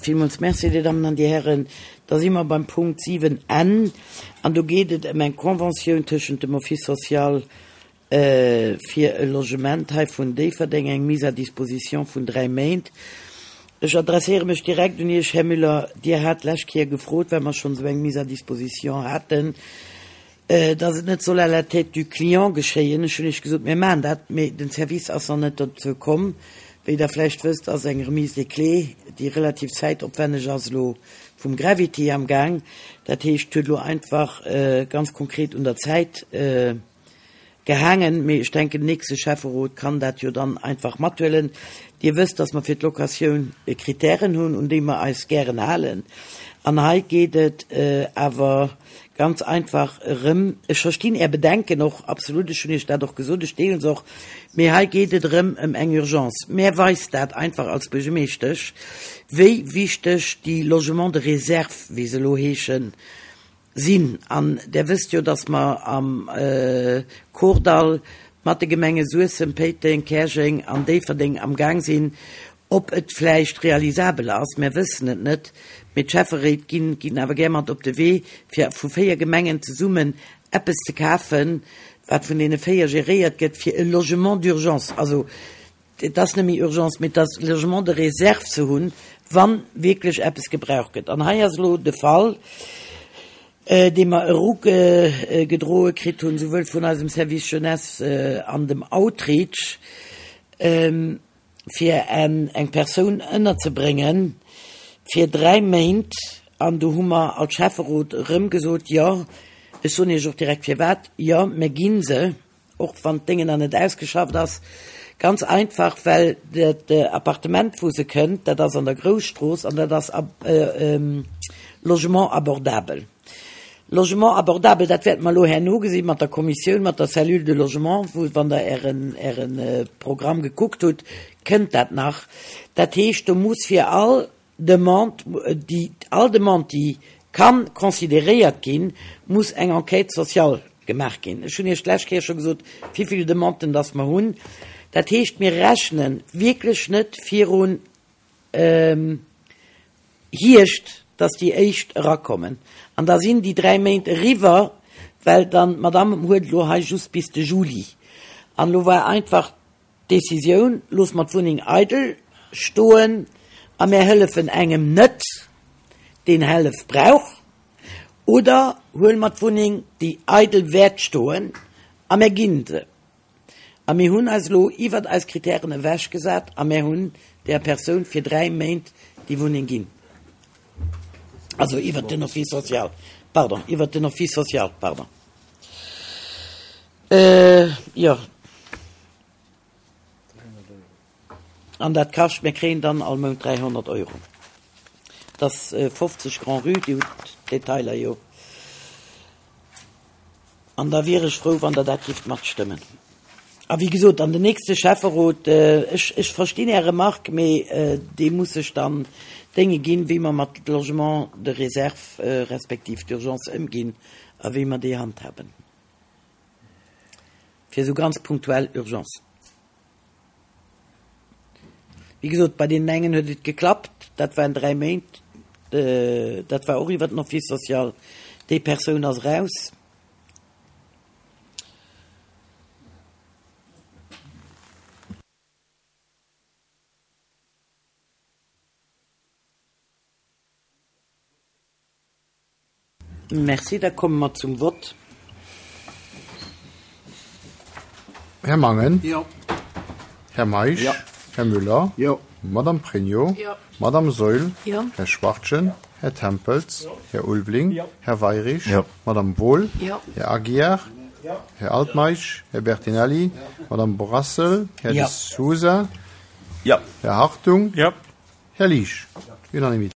Villmools Merci, Dir Dammen an Dir Hären. Da si mer beim Punkt 7 N an do geet et ëm eng Conventioun tëschent dem Office social fir e Logement hei vun Déifferdeng, eng Mise à disposition vun dräi Méint. Ech adresséiere mech direkt un Iech, Här Müller. Dir hat d'lescht Kéier gefrot, well mer schonn esou eng Mise à disposition haten, dass et net soll à la tête du client geschéien. Ech hunn Iech gesot, mir maachen dat, mee den Service ass nach net dozou komm. Wéi Der vläicht wësst, ass eng Remise des clés, déi relativ zäitopwänneg ass, elo vum Gravity am Gaang. Dat heescht, et huet elo einfach ganz konkret un der Zäit Gehaangen, mee ech denken, den nächste Schäfferot kann dat jo dann einfach mathuelen. Dir wësst, dass mer fir d'Locatioun Kritären hunn, un déi mer eis gären halen. An hei geet et awer ganz einfach erëm, ech verstinn Är Bedenken och absolut, ech hunn Iech dat och gesot, ech deele se och, mee hei geet et erëm ëm eng Urgence. Mär weist dat einfach als Buergermeeschtesch, wéi wichteg déi Logements de réserve, wéi se elo heeschen, Sinn. An Der wësst jo, dass mer am Kordall mat de Gemenge Suessem, Péiteng, Käerjeng an Déifferdeng am Gaang sinn, ob et vläicht realisabel ass, mär wëssen et net, mee d'Schäfferéit ginn ginn awer gär mat op de Wee, fir vu 4 Gemengen zesummen eppes ze kafen, wat vun deene 4 geréiert gëtt, fir e Logement d'urgence, also Et ass net méi Urgence, mee et ass Logement de réserve ze hunn, wa wierklech eppes gebraucht gëtt. An hei ass elo de Fall, dee mer erugedroe kritt hunn, souwuel vun eisem Service Jeunesse an dem Outreach, fir eng Persoun ënnerzebréngen fir dräi Méint. An do hu mer als Schäfferot erëm gesot, Jo, ech soen Iech och direkt firwat, jo, mir gi se. Och wann d'Déngen nach net ausgeschafft ass. Ganz einfach, well dat Appartement, wou se kënnt, dat ass an der Grousstrooss an dat ass Logement abordabel. Logement abordabel, dat wäerte mer elo herno gesi mat der Kommissioun, mat der Cellule de logement, wou, wann Der Ären, Äre Programm gekuckt hutt, kënnt dat nach. Dat heescht, do muss fir all Demande, déi, all Demande, déi ka consideréiert ginn, muss eng Enquête sociale gemaach ginn. Ech hunn Iech d'lescht Kéier scho gesot, wéi vill Demanden dass mer hunn. Dat heescht, mir rechne wierklech net virun Hierscht, dass déi éischt erakommen. An da sinn déi dräi Méint eriwwer, well dann d'Madame huet elo hei just bis de Juli. An elo war einfach D'Decisioun, Loosse mer d'Wunneng eidel stoen a mär hëllefen engem net, deen Hellef brauch, oder huele mer d'Wunneng, déi eidel wäert stoen, a mär ginn se. A mir hunn eis elo iwwert eis Kritären ewechgesat a mär hunn där Persoun fir 3 Méint déi Wunneng ginn. Also iwwert den Office social, pardon, iwwert den Office social, pardon. Jo. An dat kascht, mir kréien dann all Mount 300 Euro. Dat ass 50 Grand-Rue, Dir hutt d'Detailer jo. An da wier ech frou, wann Der dat géift matstëmmen. A wéi gesot, an den nächste Schäfferot, ech, ech verstinn Är Remarque, mee dee muss sech dann Dénge ginn, wéi mer mat Logements de réserve respektiv d'urgence ëmginn a wéi mer déi handhaben. Fir esou ganz punktuell Urgencen. Wéi gesot, bei deenen engen huet et geklappt, dat waren 3 Méint, dat war och iwwer den Office social, déi Persoun ass eraus. Merci. Da komme mer zum Vott. Här Mangen. Jo. Här Meisch. Jo. Här Müller. Jo. Madame Pregno. Jo. Madame Saeul. Jo. Här Schwachtgen. Här Tempels. Jo. Här Ulveling. Jo. Här Weirich. Jo. Madame Wohl. Jo. Här Aguiar. Jo. Här Altmeisch. Här Bertinelli. Jo. Madame Brassel. Här De Sousa. Jo. Här Hartung. Jo. Här Liesch. Unanimité.